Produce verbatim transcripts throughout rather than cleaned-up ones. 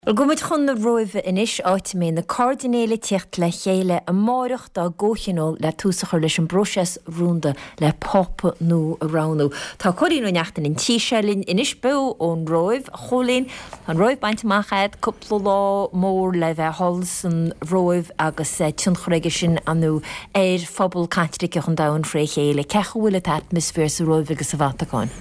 Bhuel, gabhfaidh muid chun na Róimhe anois, áit a mbeidh na cairdinéil ag tíocht le chéile amáireach dá gcomhthionól le tús a chur leis an bpróiseas rúnda le Pápa nua a roghnú. Tá Cóilín Ó Neachtain an tí seo linn anois beo ón Róimh. A Chóilín, tá an Róimh bainte amach agat, cúpla lá mór le bheith thall san Róimh agus tionchar aige sin ar ndóigh ar phobal Caitliceach an domhain fré chéile. Cén chaoi a bhfuil an t-atmaisféar sa Róimh agus sa Vatacáin?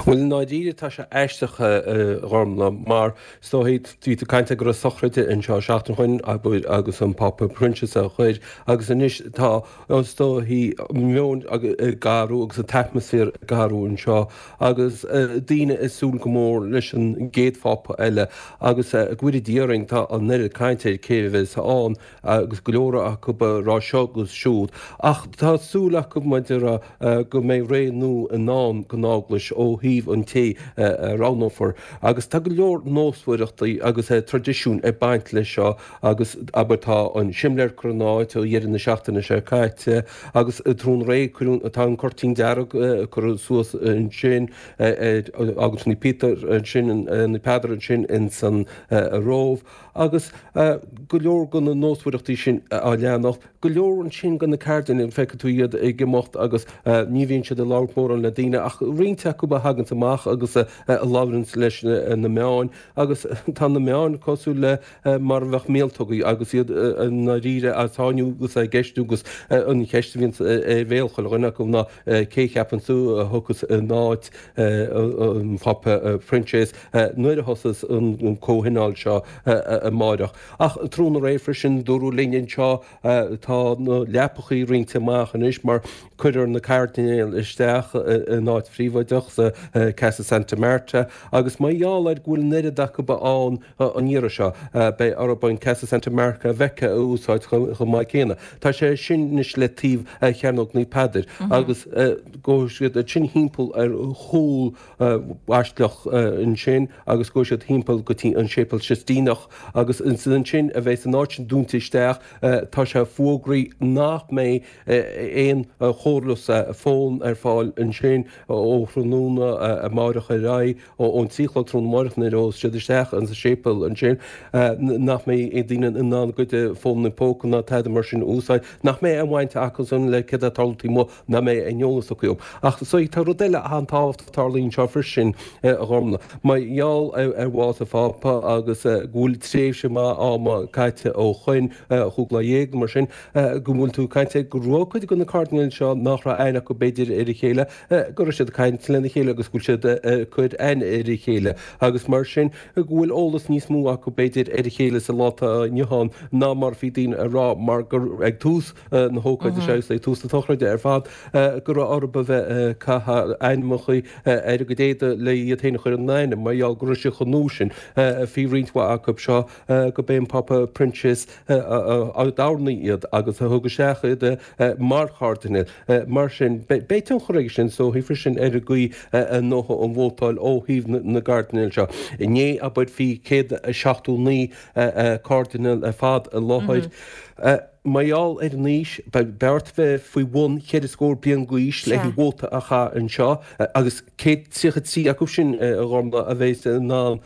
Bhuel, i ndáiríre tá sé aisteach, a Ghormfhlaith, mar is dóigh, bhí tú ag caint go raibh sochraid anseo seachtain ó shin, abair, agus an Pápa Proinsias á chur, agus anois tá, is dóigh, an meon ag athrú agus an t-atmaisféar ag athrú anseo agus daoine ag súil go mór leis an gcéad Phápa eile agus go bhfóire Dia orainn, tá an oiread cainte ar cé a bheas ann agus go leor acu ag rá seo agus siúd ach tá súil acu, mar a déarfá, go mbeidh ré nua i ndán don Eaglais ó thaobh an té a roghnófar agus tá go leor nósmhaireachtaí agus traidisiúin ag baint leis seo agus abair tá an simléar curtha in áit ó dheireadh na seachtaine seo caite agus tráthnóna aréir cuireadh tá an cuirtín dearg curtha suas ansin agus Naomh Peter ansin Naomh Peadar ansin ins an Róimh agus go leor de na nósmhaireachtaí sin á leanacht. Go leor ansin de na cairdinéil, feicfidh tú iad ag imeacht agus ní bhíonn siad ag labhairt mórán le daoine ach roinnt acu a thaganns amach agus a labhranns leis na meáin agus tá na meáin cosúil le mar a bheadh míoltógaí agus iad i ndáiríre á sáinniú agus á gceistiú agus an cheist a bhíonns ar bhéal chuile dhuine acu ná cé cheapann tú a thiocfas in áit an Phápa Proinsias nuair a thosós an comhthionól seo amáireach. Ach tráthnóna aréir freisin dúradh linn anseo tá na leapachaí roinnte amach anois mar cuirfear na cairdinéil isteach in áit phríobháideach sa Casa Santa Marta agus mar gheall ar go bhfuil an oiread acu ann an iarraidh seo beidh orthu an Casa Santa Marta Vecchia a úsáid chomh maith céanna. Tá sé sin anois le taobh Chearnóg Naomh Peadair agus gabhfaidh siad ansin thimpeall ar chúl Bhaisleac ansin agus gabhfaidh siad thimpeall go dtí an Séipéal Sistíneach agus ansin a bheas an áit sin dúnta isteach. Tá sé fógraithe nach mbeidh aon chomhairle fón ar fáil ansin ó thráthnóna amáireach ar aghaidh, ón trí a chlog tráthnóna amáireach nuair a ghabhfas siad isteach sa séipéal ansin, nach mbeidh daoine in ann a gcuid fónanna póca ná tada mar sin a úsáid, nach mbeidh aon bhaint acusan le céard atá ag tarlú taobh amuigh, nach mbeidh aon eolas acu. Ach so tá rud eile an-tábhachtach ag tarlú anseo freisin, a Ghormfhlaith. Mar gheall ar bhás an Phápa agus go bhfuil tréimhse maith ama caite ó shoin, chúig lá dhéag nó mar sin, go bhfuil tú ag caint ar go raibh cuid de na cairdinéil seo nach raibh aithne acu b'fhéidir ar a chéile, go raibh siad ag caint lena chéile agus go bhfuil siad ag cur aithne ar a chéile agus mar sin go bhfuil eolas níos mó acu b'fhéidir ar a chéile sa lá atá inniu ann ná mar a bhí daoine ag rá mar gur ag tús na hócáide seo agus ag tús na sochraide ar fad go raibh orthu a bheith ag caitheamh ainmneacha ar a gcuid éadaí le iad féin a chur in aithne mar gheall go raibh sé chomh nua sin faoi roinnt mhaith acu seo go b'é an Pápa Proinsias a d'oirnigh iad agus a thug isteach iad mar chairdinéil. Mar sin, beidh tionchar aige sin so freisin ar an gcaoi a ndófaidh an vótáil ó thaobh na gcairdinéal seo. Inné, abair, bhí céad seachtó naoi cairdinéal ar fad i láthair. Mar gheall ar an aois, beidh ort bheith faoi bhun cheithre scór bliain d'aois le haghaidh vóta a chaitheamh anseo agus céad tríocha trí acu sin, a Ghormfhlaith, a bheas in ann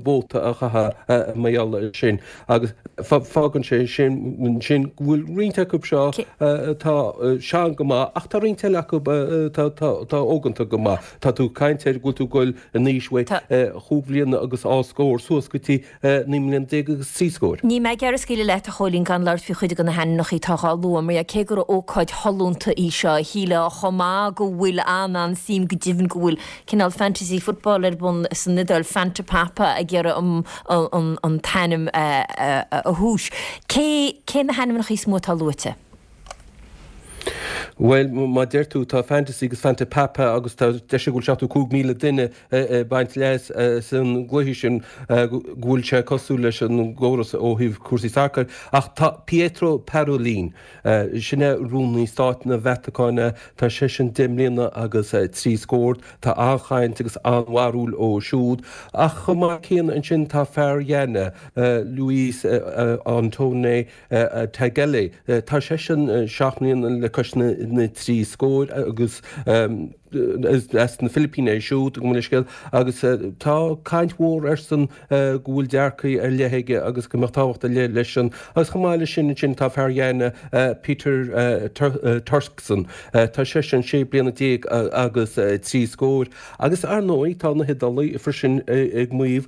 vóta a chaitheamh mar gheall air sin. Agus fágann sé sin ansin go bhfuil roinnt acu seo atá sean go maith ach tá roinnt eile acu atá óganta go maith. Tá tú ag caint ar go bhfuil tú ag dul in aois uaidh chúig bhliana agus dhá scór suas go dtí naoi mbliana déag agus trí scór. Níl mé ag iarraidh scaoileadh leat, a Chóilín, gan labhairt faoi chuid de na hainmneacha atá á lua, mar cé gur ócáid shollúnta í seo, shílfeá chomh maith go bhfuil an-an-suim, go deimhin go bhfuil cineál fantasy football ar bun san Iodáil, Fantapapa ag iarraidh an an t-ainm a thomhas. Cé cé na hainmneacha is mó atá luaite? Bhuel, mar a deir tú, tá Fantasy agus Fantapapa agus tá deir siad go bhfuil seachtó cúig míle duine ag baint leas as an gcluiche sin, go bhfuil sé cosúil leis an gcóras ó thaobh cúrsaí sacair. Ach tá Pietro Parolin, sin é Rúnaí Stáit na Vatacáine, tá seisean deich mbliana agus trí scór, tá an-chaint agus an-bharúil ó siúd. Ach chomh maith céanna ansin tá fear Ghana, Luis Antonio Tagle, tá seisean seacht mbliana le cois na trí scóir agus As na Filipíní é siúd, gabh mo leithscéal, agus tá caint mhór airsean go bhfuil dearcadh ar leith aige agus go mbeadh tábhacht ar leith leisean. Agus chomh maith leis sin ansin tá fear Ghana, Peter Turkson, tá seisean sé bliana déag agus trí scór. Agus ar ndóigh tá na hIodálaigh freisin ag maíomh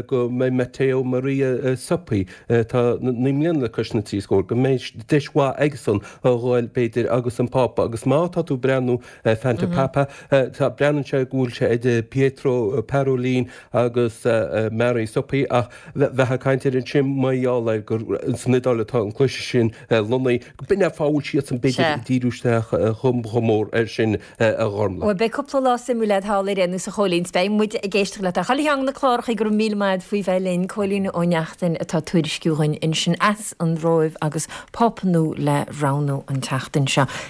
go mbeidh Matteo Maria Zuppi, atá naoi mbliana le cois na trí scór, go mbeidh deis mhaith aigesan a ghoil, b'fhéidir, agus an Pápa. Agus má tá tú ag breathnú Fantapapa, tá, breathnaíonn sé go bhfuil sé idir Pietro Parolin agus Mario Zuppi ach bheifeá ag caint air ansin mar gheall ar gur san Iodáil atá an cluiche sin lonnaithe. B'in é an fáth a bhfuil siadsan b'fhéidir ag díriú isteach chomh mór air sin a Ghormlaith. Bhuel, beidh cúpla lá suimiúil agat thall ar aon nós a Chóilín, 's beidh muid ag éisteacht leat ar chuile cheann de na cláracha. Go raibh míle maith agat faoi bheith linn. Cóilín Ó Neachtain atá ag tuairisciú dhuinn ansin as an Róimh agus Pápa nua le roghnú an tseachtain seo.